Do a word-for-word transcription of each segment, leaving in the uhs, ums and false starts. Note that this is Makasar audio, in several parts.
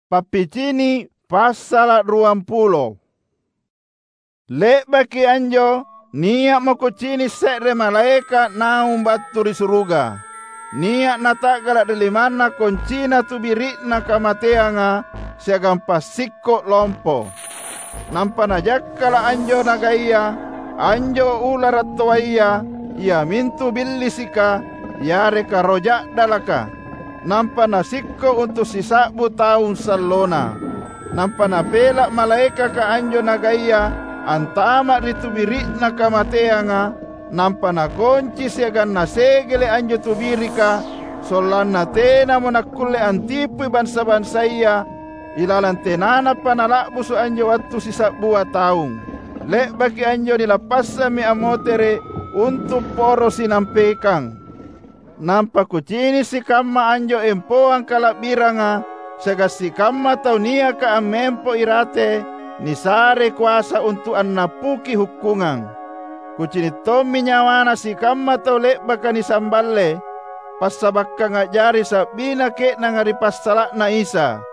Pappicini' passala' ruampulo. Le'baki anjo, nia'mo kucini' se're malaeka' naung battu ri suruga. Nia' nata'gala' ri limanna koncina tubiri'na kamateanga siagang passikko' lompo. Nampa najakkala' anjo nagaya, anjo ulara' toaya, iamintu Billisika, yareka roh ja'dalaka. Nampa nasikko' untu' sisa'bu taung sallona. Nampa napela' malaekaka anjo nagaya antama' ri tubiri'na kamateanga, nampa nakonci siagang nasegele' anjo tubirika, sollanna tenamo nakkulle antipui bansa-bansaya ilalang tenanapa nala'busu' anjo wattu sisa'bua taung. Le'baki anjo nilappassammi ammotere' untu' poro sinampekang. Nampa kucini' sikamma anjo empoang kala'biranga siagang sikamma tau niaka ammempo irate nisare koasa untu' annappuki hukkungang. Kucini' tommi nyawana sikamma tau le'baka nisamballe, passabakkang a'jari sa'bina ke'nanga ri passala'na Isa,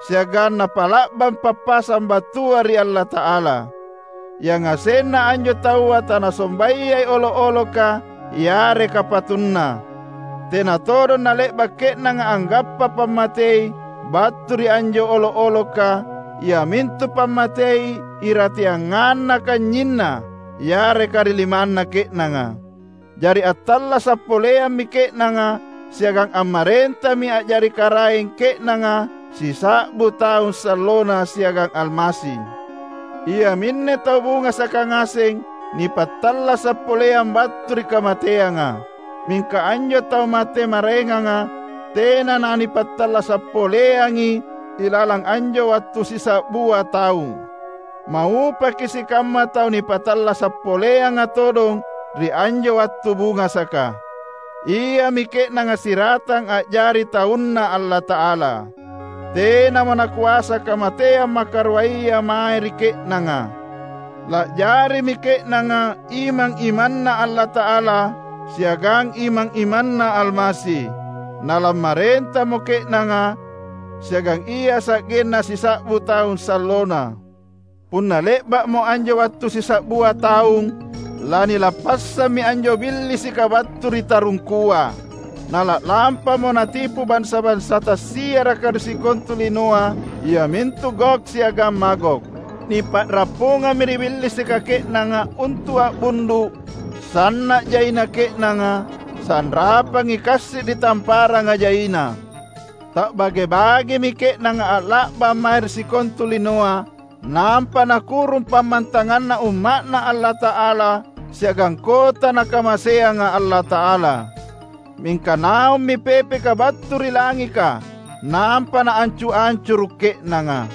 siagang napala'bang pappasang battua ri Allata'ala. Yangasenna anjo taua tanasombayai olo'-oloka yareka patunna. Tena todong nale'ba' ke'nanga anggappa pammatei battu ri anjo olo'-oloka, iamintu pammatei irateanganna kanynyinna yareka ri limanna ke'nanga. Jari attallasa' poleammi ke'nanga siagang ammarentami a'jari karaeng ke'nanga sisa'bu taung sallona siagang Almasi. Iaminne tau bungasaka ngaseng nipattallasa' poleang battu ri kamateanga. Mingka anjo tau mate maraenganga tena nanipattallasa' poleangi ilalang anjo wattu sisa'bua taung. Maupaki sikamma tau nipatallasa' poleanga todong ri anjo wattu bungasaka. Iami ke'nanga siratang a'jari taunNa Allata'ala. Tenamo nakoasa kamateang makaruaya mae ri ke'nanga. La'jarimi ke'nanga imang-imanNa Allata'ala siagang imang-imanNa Almasi. Nalammarentamo ke'nanga siagang ia sa'genna sisa'bu taung sallona. Punna le'ba'mo anjo wattu sisa'bua taung, lanilappassammi anjo Billisika battu ri tarungkua. Nala'lampamo natipu bansa-bansa tassiaraka ri sikontu linoa, iamintu Gog siagang Magog. Nipa'rappungammi ri Billisika ke'nanga untu' a'bundu', sanna' jaina ke'nanga, sanrapangi kassi' ri tamparanga jaina. Ta'bage-bagemi ke'nanga a'la'bang mae ri sikontu linoa, nampa nakurung pammantanganna umma'Na Allata'ala siagang kota Nakamaseanga Allata'ala. Mingka naummi pepeka battu ri langika, nampa naancu-ancuru' ke'nanga.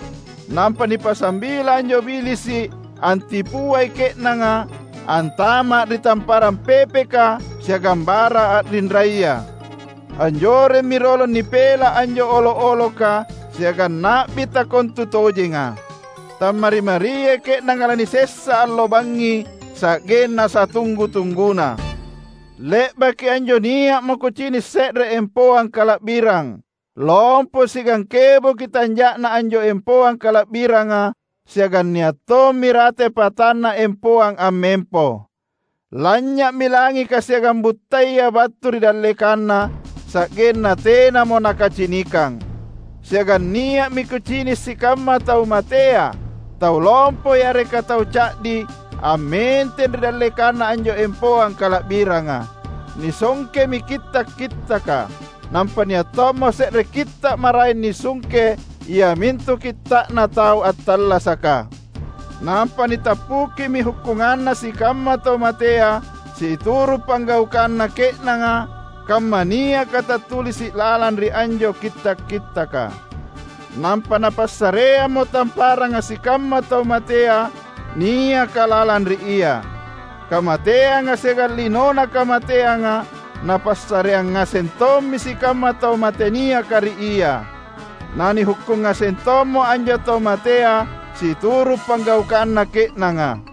Nampa nipasambila anjo Bilisi' antipuai ke'nanga antama' ri tamparang pepeka siagang bara a'rinraya. Anjoremmi rolong nipela' anjo olo'-oloka siagang na'bi takontutojenga. Tammari-mariai ke'nanga lanisessa allo bangngi sa'genna satunggu-tungguna. Le'baki anjo nia'mo kucini' se're empoang kala'birang. Lompo siagang keboki tanja'na anjo empoang kala'biranga, siagang nia' tommi rate patanna empoang ammempo. Lanynya'mi langika siagang buttaya battu ri dallekanna, sa'genna tenamo nakacinikang. Siagang nia'mi kucini' sikamma tau matea, tau lompo yareka tau ca'di, ammenteng ri dallekanna anjo empoang kala'biranga. Nisongkemi kitta'-kittaka. Nampa nia' tommo se're kitta' maraeng nisungke, iamintu kitta'na tau attallasaka. Nampa nitappukimi hukkunganna sikamma tau matea situru' panggaukanna ke'nanga, kamma niaka tattulisi' lalang ri anjo kitta'-kittaka. Nampa napassareammo tamparanga sikamma tau matea niaka lalang ri ia. Kamateanga siagang linona kamateanga napassareang ngaseng tommi sikamma tau mate niaka ri ia. Nanihukkung ngaseng tommo anjo tau matea situru' panggaukanna ke'nanga.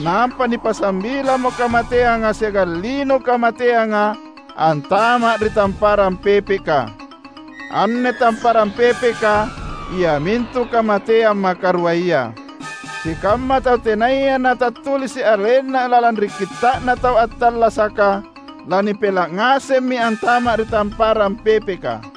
Nampa nipasambilamo kamateanga siagang lino kamateanga antama' ri tamparang pepeka. Anne tamparang pepeka iamintu kamateang makaruaya. Sikamma tau tenaya natattulisi’ arenna lalang ri Kitta'na tau attallasaka, lanipela’ ngasemmi antama’ ri tamparang pepeka.